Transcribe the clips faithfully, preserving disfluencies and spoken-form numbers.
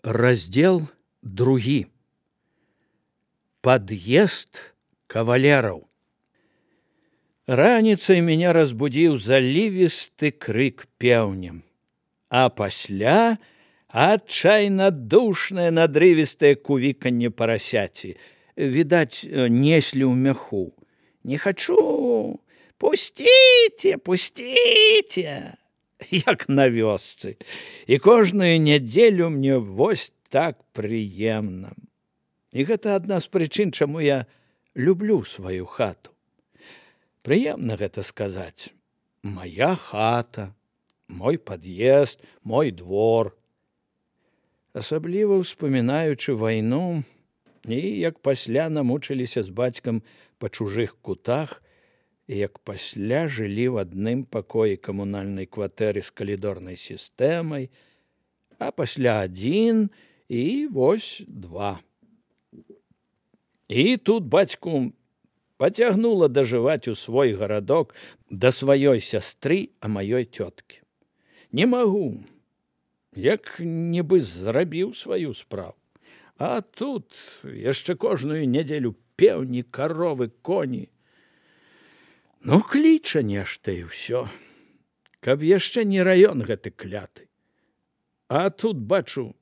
Раздел другі. Подъезд кавалеров. Раніцай меня разбудил заливисты крик пеўнем, а пасля отчайно душное надрывистое кувиканье поросяти. Видать, несли ў мяху. Не хочу, пустите, пустите. Як на вёсцы. І кожную нядзелю мне вось так прыемна. І гэта адна з прычын, чаму я люблю сваю хату. Прыемна гэта сказаць. Моя хата, мой пад'езд, мой двор. Асабліва ўспамінаючы вайну і як пасля намучыліся з бацькам па чужых кутах, і як пасля жылі ў адным пакоі камунальнай кватэры з калідорнай сістэмай, а пасля адзін і вось два. І тут бацьку пацягнула дажываць у свой гарадок да сваёй сястры, а маёй цёткі. Не магу, як нібы зрабіў сваю справу. А тут яшчэ кожную нядзелю пеўні, каровы, коні. Ну, кліча нешта і ўсё. Каб яшчэ не раён гэты кляты. А тут бачу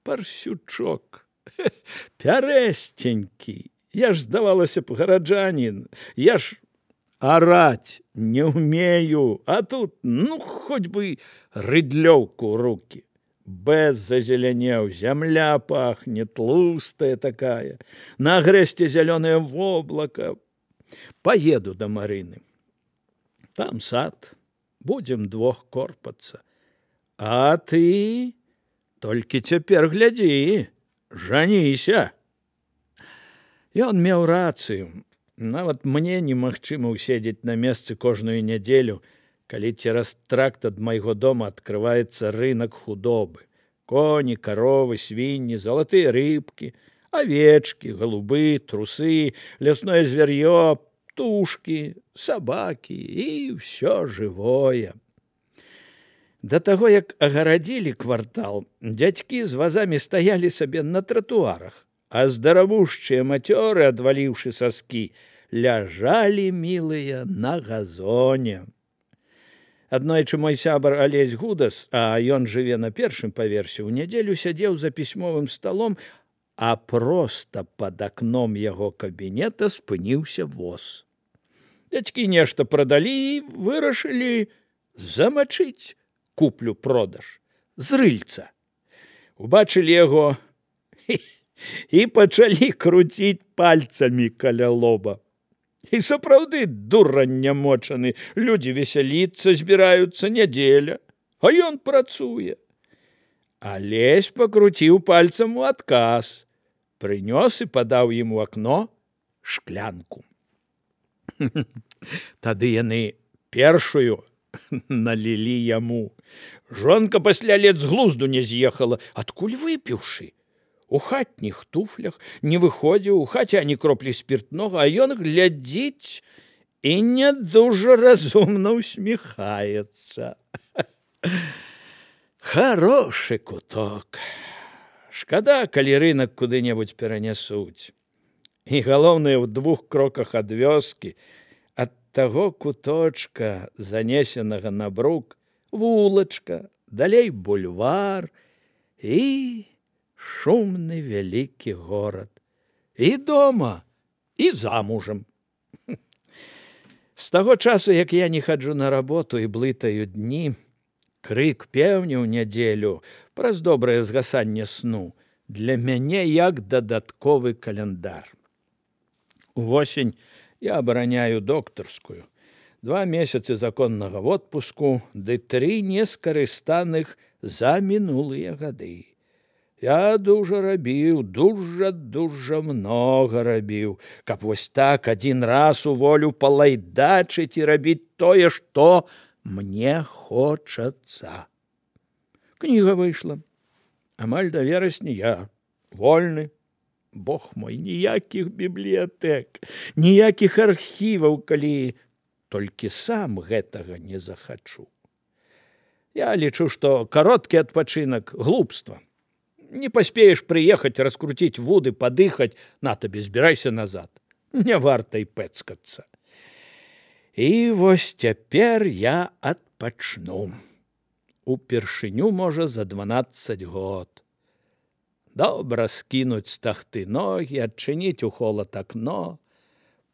парсючок. Пярэсценькі. Я ж, здавалася б, гараджанін. Я ж араць не ўмею. А тут, ну, хоць бы рыдлёўку ў рукі. Без зазеленеў, зямля пахне, тлустая такая. На агрэсце зялёнае воблака. Поеду до Марыны. Там сад. Будем двох корпацца. А ты толькі цяпер глядзі, жаніся. Ён меў рацыю. Нават мне немагчыма ўседзець на месцы кожную нядзелю, калі цераз тракт ад майго дома адкрываецца рынак худобы. Коні, каровы, свінні, залатыя рыбкі, овечки, голубы, трусы, лясное зверье, птушки, собаки и все живое. До того, як агарадзілі квартал, дзядзькі з вазамі стаялі сабе на тратуарах, а здаравушчыя мацёры, адваліўшы саскі, ляжалі мілыя на газоне. Аднойчы мой сябар Алесь Гудас, а ён жыве на першым паверсе, у нядзелю сядзеў за пісьмовым сталом, а проста пад акном яго кабінета спыніўся воз. Дзядзькі нешта прадалі і вырашылі замачыць куплю-продаж з рыльца. Убачылі яго і, і пачалі круціць пальцамі каля лоба. І сапраўды дурань нямочаны, людзі весяліцца збіраюцца, нядзеля, а ён працуе. Алесь пакруціў пальцам у адказ, прынёс і падаў ім у акно шклянку. Тады яны першую налілі яму. Жонка пасля лет з глузду не з'ехала, адкуль выпіўшы. У хатніх туфлях не выходзіў, у хаце ані кроплі спіртнога, а ён глядзіць і не дужа разумна усміхаецца. Хороший куток. Шкада, калі рынак куды-небудзь перанясуць. І галоўнае, ў двух кроках ад вёскі, ад таго куточка, занесенага на брук, вулачка, далей бульвар і шумны вялікі горад. І дома, і замужам. З таго часу, як я не хаджу на работу і блытаю дні, крык пеўня ў нядзелю праз добрае згасанне сну для мяне як дадатковы каляндар. Увосень я абараняю доктарскую. Два месяцы законнага водпуску, ды тры нескарыстаных за мінулыя гады. Я дужа рабіў, дужа-дужа многа рабіў, каб вось так адзін раз у волю палайдачыць і рабіць тое, што мне хочацца. Кніга выйшла. Амаль да верасня я вольны. Бог мой, ніякіх бібліятэк, ніякіх архіваў, калі толькі сам гэтага не захачу. Я лічу, што кароткі адпачынак – глупства. Не поспеешь приехать, раскрутить вуды, подыхать, на тебе, збирайся назад. Не варта і пэцкацца. І вось цяпер я адпачну. Упершыню, можа, за дванаццаць год. Добра скінуць з тахты ногі, адчыніць у холад акно,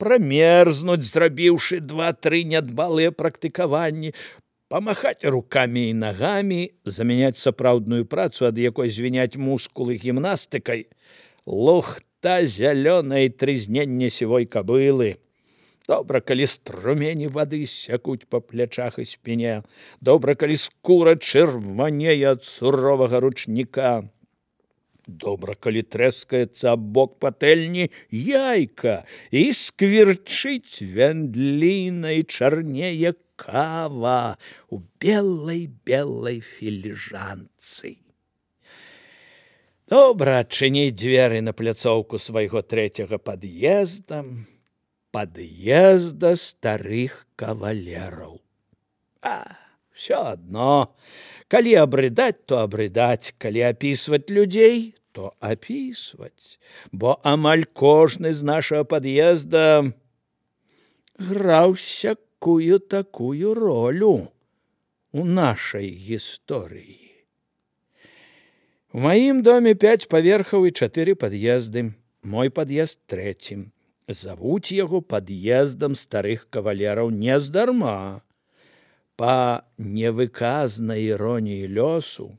прамерзнуць, зрабіўшы два-тры нядбалыя практыкаванні, памахаць рукамі і нагамі, замяняць сапраўдную працу, ад якой звіняць мускулы гімнастыкай, лухта зялёнай трызнення сівой кабылы. Добра, калі струмені вады сякуць па плячах і спіне, добра, калі скура чырванее ад суровага ручніка. Добра, калі трэскаецца аб бок патэльні яйка і сквірчыць вяндлінай чарнее кава у белай-белай філіжанцы. Добра адчыніць дзверы на пляцоўку свайго трэцяга пад'езда, пад'езда старых кавалераў. А, всё адно. Калі абрыдаць, то абрыдаць, калі апісваць людзей, то апісваць, бо амаль кожны з нашага пад'езда граў сякую такую ролю у нашай гісторыі. У маім доме пяць паверхаў і чатыры пад'езды. Мой пад'езд трэцім. Завуць яго пад'ездам старых кавалераў нездарма. Па невыказнай іроніі лёсу,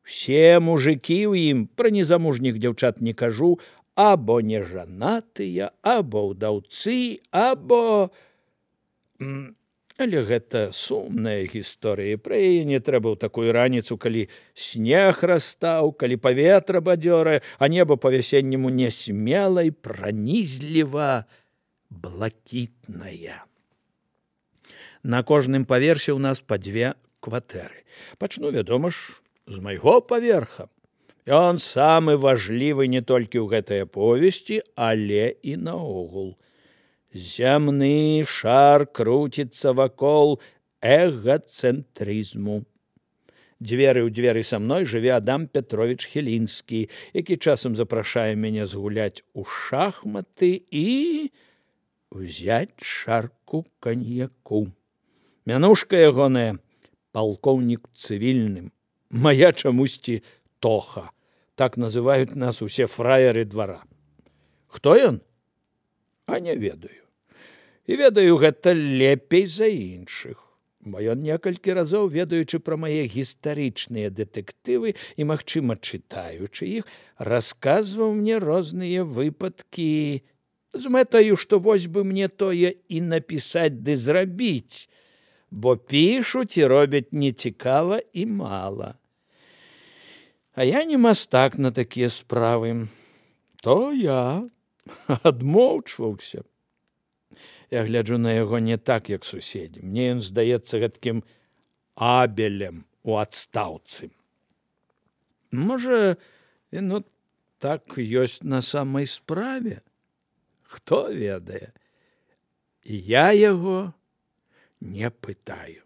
усе мужыкі ў ім, пра незамужніх дзяўчат не кажу, або нежанатыя, або ўдаўцы, або... Але гэта сумная гісторыя, пра яе не трэба ў такую раніцу, калі снег растаў, калі паветра бадзёрае, а неба па-вясенняму нясмела і пранізліва блакітная. На кожным паверсе ў нас па дзве кватэры. Пачну, вядома ж, з майго паверха. Ён самы важлівы не толькі ў гэтай аповесці, але і наогул. Зямны шар круціцца вакол эгацэнтрызму. Дзверы ў дзверы са мной жыве Адам Петрович Хелінскі, які часам запрашае мяне згуляць у шахматы і ўзяць чарку каньяку. Мянушка ягоная палкоўнік цывільным, мая чамусьці Тоха. Так называюць нас усе фраеры двара. Хто ён? А не ведаю. І ведаю гэта лепей за іншых. Бо ён некалькі разоў, ведаючы пра мае гістарычныя дэтэктывы і, магчыма, чытаючы іх, расказваў мне розныя выпадкі з мэтаю, што вось бы мне тое і напісаць ды зрабіць, бо пішуць і робяць нецікава і мала. А я не мастак на такія справы. То я адмоўчваўся. Я гляджу на яго не так, як суседзі. Мне ён здаецца гэткім Абелем у адстаўцы. Можа, яно так ёсць на самай справе? Хто ведае? Я яго не пытаю.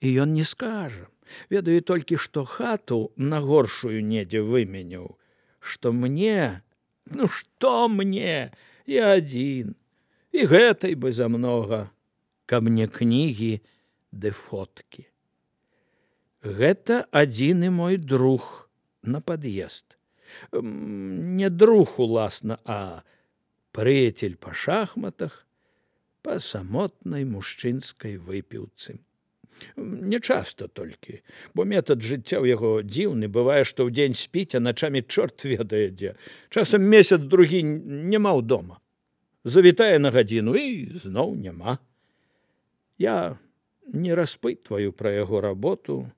І ён не скажа. Ведаю толькі, што хату на горшую недзе выменяў. Што мне... Ну, што мне? Я адзін. І гэтай бы замнога, каб мне кнігі ды фоткі. Гэта адзіны мой друг на пад'езд. Не друг, уласна, а прыяцель па шахматах, па самотнай мужчынскай выпіўцы. Не часта толькі, бо метад жыцця ў яго дзіўны, бывае, што ў дзень спіць, а начамі чорт ведае дзе. Часам месяц-другі няма ў дома. Завітае на гадзіну і зноў няма. Я не распытваю пра яго работу,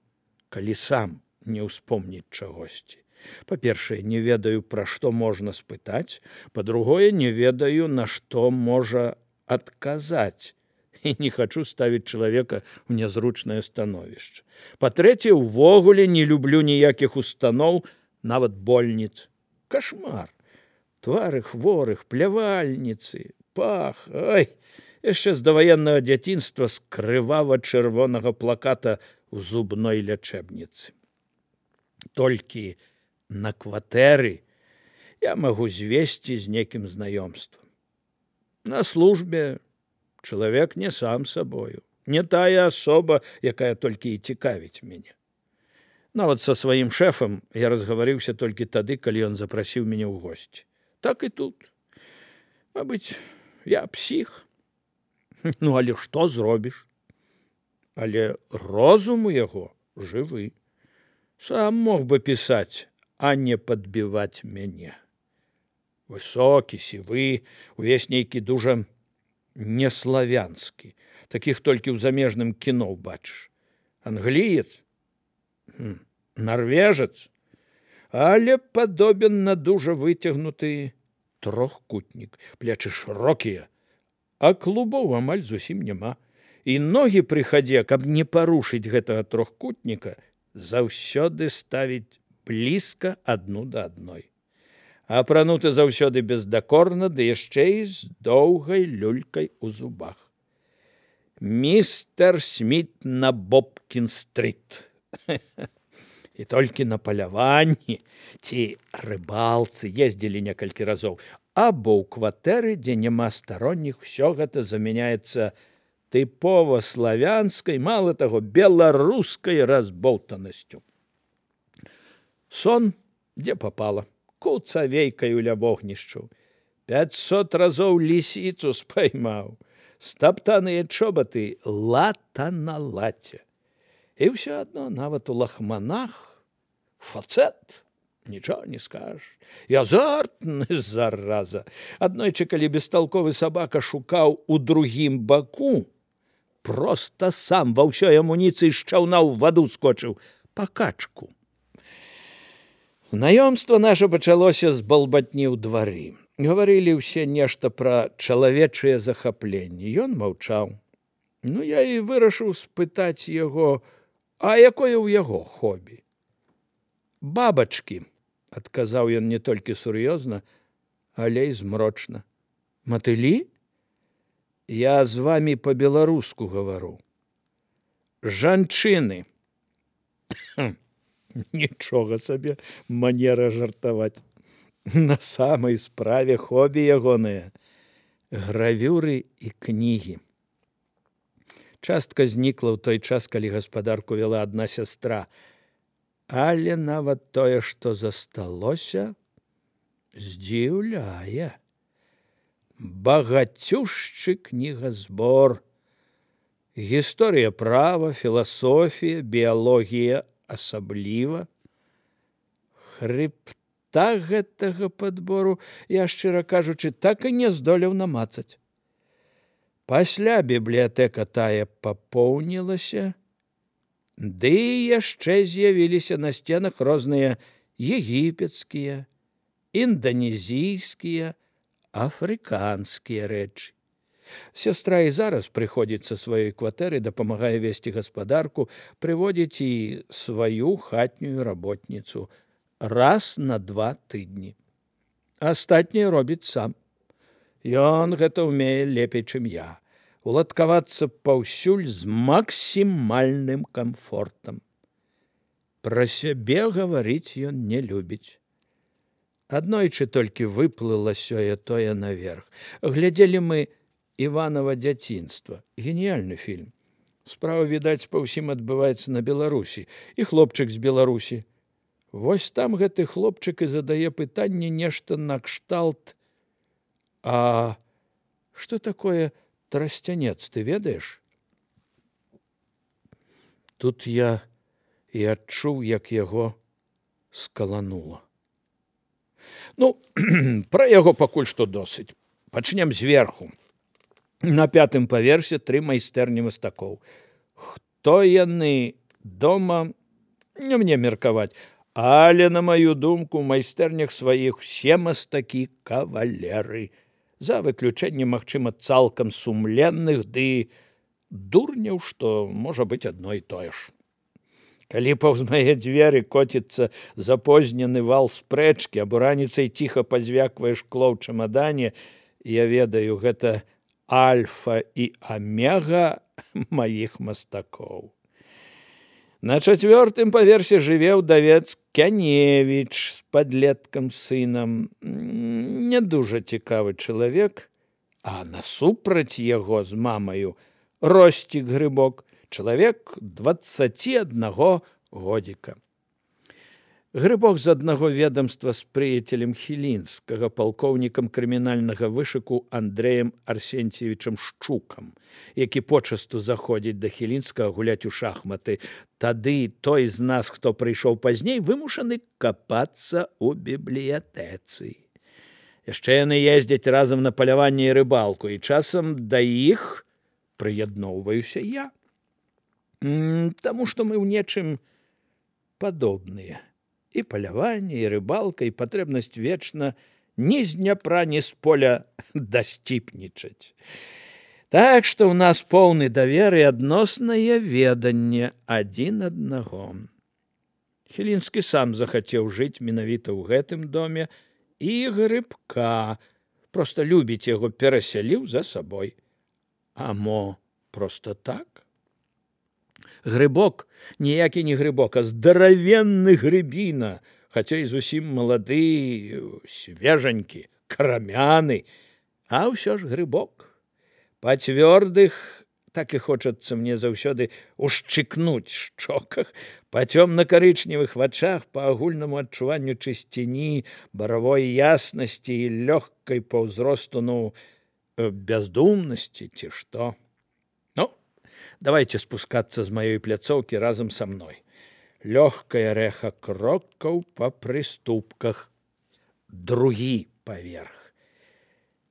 калі сам не ўспомніць чагосьці. Па-першае, не ведаю, пра што можна спытаць, па-другое, не ведаю, на што можа адказаць, і не хачу ставіць чалавека ў нязручнае становішча. Па-трэцяе, увогуле не люблю ніякіх устаноў, нават больніц. Кашмар. Твары хворых, плявальніцы, пах, ой, яшчэ з даваеннага дзяцінства з крывава-чырвонага плаката ў зубной лячэбніцы. Толькі на кватэры я магу звесці з некім знаёмствам. На службе чалавек не сам сабою, не тая асоба, якая толькі і цікавіць мяне. Нават са сваім шэфам я разгаварыўся толькі тады, калі ён запрасіў мяне ў госці. Так і тут. Мабыць, я псіх. Ну, але што зробіш? Але розум у яго жывы. Сам мог бы пісаць, а не падбіваць мяне. Высокі, сівы, увесь нейкі дужа неславянскі. Такіх толькі ў замежным кіно бачыш. Англіец, нарвежец, але падобен на дужа выцягнуты трохкутнік. Плечы шырокія, а клубоў амаль зусім няма. І ногі пры хадзе, каб не парушыць гэтага трохкутніка, заўсёды ставіць блізка адну да адной. Апрануты заўсёды бездакорна, ды яшчэ і з доўгай люлькай у зубах. Містер Сміт на Бобкін-стрыт. І толькі на паляванні ці рыбалцы ездзілі некалькі разоў, або ў кватэры, дзе няма старонніх, усё гэта замяняецца тыпова славянскай, мала таго, беларускай разболтанасцю. Сон, дзе папала, куцавейкаю ля вогнішчу. Пяцьсот разоў лісіцу спаймаў, стаптаныя чобаты лата на лаце. І ўсё адно, нават у лахманах, фацэт, нічого не скажеш. І азартны, зараза. Аднойчы, калі бесталковы сабака шукаў у другім баку, проста сам ва ўсёй амуніцыі з чаўна ў ваду скочыў па качку. Знаёмства наша пачалося з балбатні ў двары. Гаварылі ўсе нешта пра чалавечыя захапленні. Ён маўчаў. Ну, я і вырашыў спытаць яго, а якое ў яго хобі? Бабачкі, адказаў ён не толькі сур'ёзна, але і змрочна. Матылі? Я з вамі па-беларуску гавару. Жанчыны. Нічога сабе манера жартаваць. На самай справе хобі ягоныя гравюры і кнігі. Частка знікла ў той час, калі гаспадарку вяла адна сястра, але нават тое, што засталося, здзіўляе. Багацюшчы кнігазбор. Гісторыя права, філасофія, біялогія асабліва. Хрыбта гэтага падбору я, шчыра кажучы, так і не здолеў намацаць. Пасля бібліятэка тая папоўнілася, ды яшчэ з'явіліся на сценах розныя егіпецкія, інданезійскія, афрыканскія рэчы. Сястра і зараз прыходзіць са сваёй кватэры, дапамагае весці гаспадарку, прыводзіць і сваю хатнюю работніцу раз на два тыдні. Астатняе робіць сам. Ён гэта ўмее лепей, чым я. Уладкавацца паўсюль з максімальным камфортам. Пра сябе гаварыць ён не любіць. Аднойчы толькі выплыла сёе-тое наверх. Глядзелі мы «Іванова дзяцінства». Геніяльны фільм. Справа, відаць, па ўсім адбываецца на Беларусі. І хлопчык з Беларусі. Вось там гэты хлопчык і задае пытанне нешта накшталт. А што такое трасцянец, ты ведаеш? Тут я і адчуў, як яго скаланула. Ну, пра яго пакуль што досыць. Пачнем зверху. На пятым паверсе тры майстэрні мастакоў. Хто яны дома, не мне меркаваць, але, на маю думку, у майстэрнях сваіх усе мастакі кавалеры. За выключэннем, магчыма, цалкам сумленных, ды дурняў, што можа быць адно і тое ж. Калі паўз мае дзверы коціцца запознены вал спрэчкі, або раніцай ціха пазвяквае шкло ў чамадане, я ведаю, гэта альфа і амега маіх мастакоў. На чацвёртым паверсе жыве ўдавец Кяневіч з падлеткам сынам. Не дужа цікавы чалавек, а насупраць яго з мамаю Росцік Грыбок, чалавек дваццаці аднаго годзіка. Грыбок з аднаго ведомства з прыяцелем Хілінскага, палкоўнікам крымінальнага вышыку Андрэем Арсенцевічам Шчукам, які почасту заходзіць да Хілінскага гуляць у шахматы. Тады той з нас, хто прыйшоў пазней, вымушаны капацца ў бібліятэцы. Яшчэ яны ездзяць разам на паляванне і рыбалку, і часам да іх прыядноўваюся я. Таму што мы ў нечым падобныя. І паляванне, і рыбалка, і патрэбнасць вечна ні з Дняпра, ні з поля дасціпнічаць. Так што ў нас поўны давер і адноснае веданне адзін аднаго. Хілінскі сам захацеў жыць менавіта ў гэтым доме, і Грыбка, проста любіць яго, перасяліў за сабой. А мо проста так? Грыбок ніякі не грыбок, а здаравенны грыбіна, хаця і зусім малады, свежанькі, крамяны, а ўсё ж грыбок. Па цвёрдых, так і хочацца мне заўсёды ушчыкнуць шчоках, па цёмна-карычневых вачах, па агульнаму адчуванню чысціні, баравой яснасці і лёгкай па ўзросту, ну, бяздумнасці ці што. Давайте спускаться з маёй пляцоўкі разам са мной. Лёгкае рэха крокаў па прыступках. Другі паверх.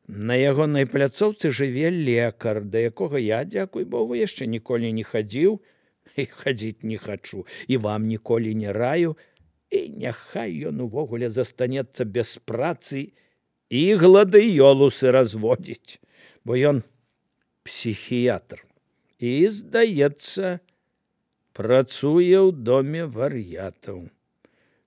На ягонай пляцоўцы жыве лекар, да якога я, дзякуй Богу, яшчэ ніколі не хадзіў і хадзіць не хачу, і вам ніколі не раю, і няхай ён увогуле застанецца без працы і гладыёлусы разводзіць, бо ён псіхіятр. І, здаецца, працуе ў доме вар'ятаў.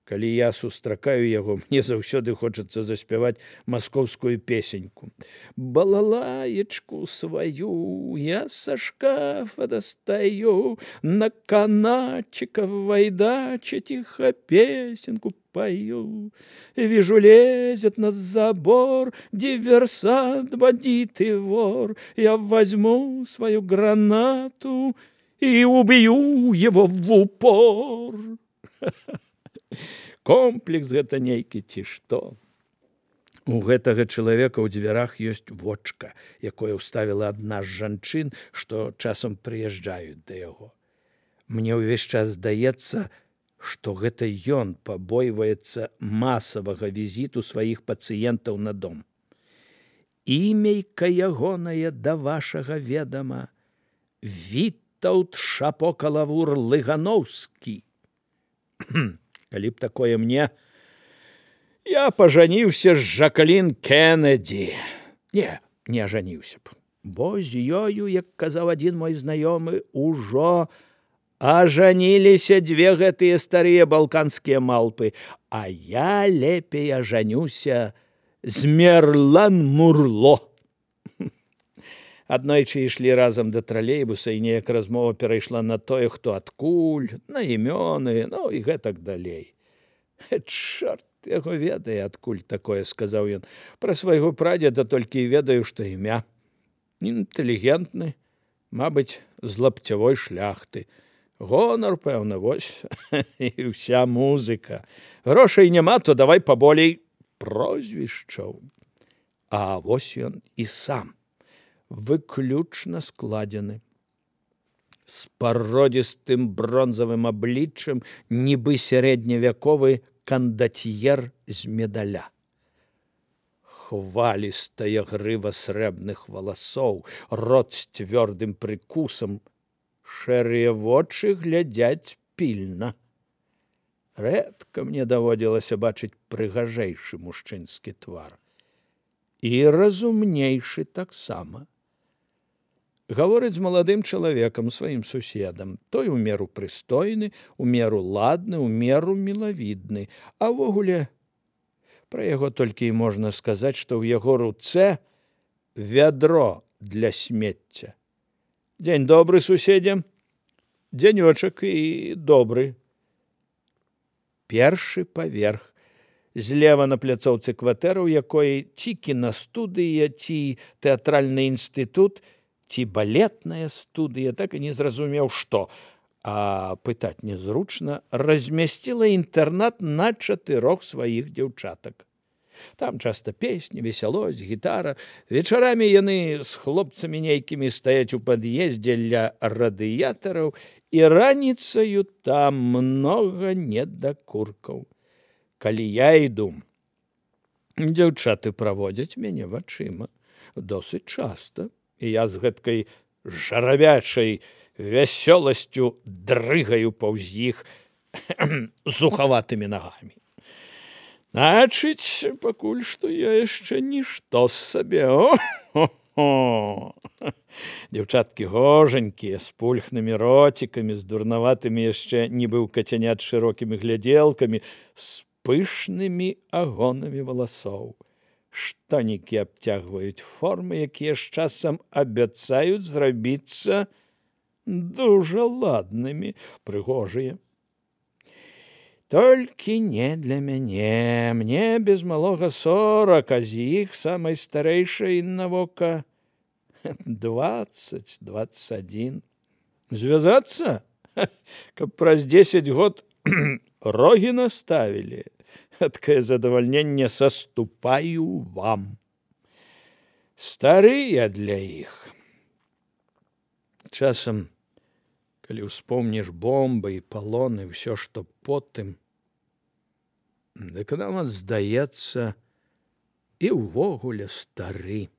Калі я сустракаю яго, мне заўсёды хочацца заспяваць маскоўскую песеньку. Балалаечку сваю я са шкафа достаю, на канатчика вайдача тихо песенку пою. Вижу, лезет на забор диверсант, бандит и вор. Я возьму свою гранату и убью его в упор. Комплекс гэта нейкі ці што. У гэтага чалавека ў дзвярах ёсць вочка, якое ўставіла адна з жанчын, што часам прыязджаюць да яго. Мне ўвесь час здаецца, што гэта ён пабойваецца масавага візіту сваіх пацыентаў на дом. Імейка ягонае да вашага ведама Вітаўт Шапокалавур Лыгановскі. Калі б такое мне, я пажаніўся з Жакалін Кеннеді. Не, не ажаніўся б, бо з ёю, як казаў адзін мой знаёмы, ужо ажаніліся дзве гэтыя старыя балканскія малпы, а я лепей ажанюся з Мерлан Мурло. Аднойчы ішлі разам да тралейбуса, і неяк размова перайшла на тое, хто адкуль, на імёны, ну і гэтак далей. Чорт яго ведае, адкуль такое, сказаў ён. Пра свайго прадзеда толькі і ведаю, што імя. Інтэлігентны, мабыць, з лапцявой шляхты. Гонар, пэўна, вось, і ўся музыка. Грошай няма, то давай паболей прозвішчаў. А вось ён і сам. Выключна складзены. З пародзістым бронзавым абліччам, нібы сярэдневяковы кандацьер з медаля. Хвалістая грыва срэбных валасоў, рот з цвёрдым прыкусам, шэрыя вочы глядзяць пільна. Рэдка мне даводзілася бачыць прыгажэйшы мужчынскі твар. І разумнейшы таксама. Гаворыць з маладым чалавекам, сваім суседам. Той у меру прыстойны, у меру ладны, у меру мілавідны. А ўвогуле, пра яго толькі і можна сказаць, што ў яго руцэ вядро для смецця. Дзень добры, суседзе. дзянёчак і добры. Першы паверх. Злева на пляцоўцы кватэра, у якой ці кінастудыя, ці тэатральны інстытут, ці балетная студыя, так і не зразумеў, што. А пытаць незручна, размясціла інтэрнат на чатырох сваіх дзяўчатак. Там часта песні, весялосць, гітара. Вечарамі яны з хлопцамі нейкімі стаяць у пад'ездзе ля радыятараў, і раніцаю там многа недакуркаў. Калі я іду, дзяўчаты праводзяць мяне вачыма досыць часта, і я з гэткай жаравячай вясёласцю дрыгаю паўз іх зухаватымі нагамі. Значыць, пакуль што я яшчэ нішто сабе. О-хо-хо! Дзяўчаткі гожанькія, з пульхнымі роцікамі, з дурнаватымі яшчэ нібы ў кацянят шырокімі глядзелкамі, з пышнымі агонамі валасоў. Штанікі абцягваюць формы, якія з часам абяцаюць зрабіцца дужа ладнымі, прыгожыя. Толькі не для мяне. Мне без малога сорак, а з іх самай старэйшай на вока дваццаць дваццаць адзін. Звязацца? Каб праз дзесяць год рогі наставілі. Гэткае задавальненне саступаю вам. Стары я для іх. Часам, калі ўспомніш бомбы і палоны, ўсё, што потым, дык нам здаецца і ўвогуле стары.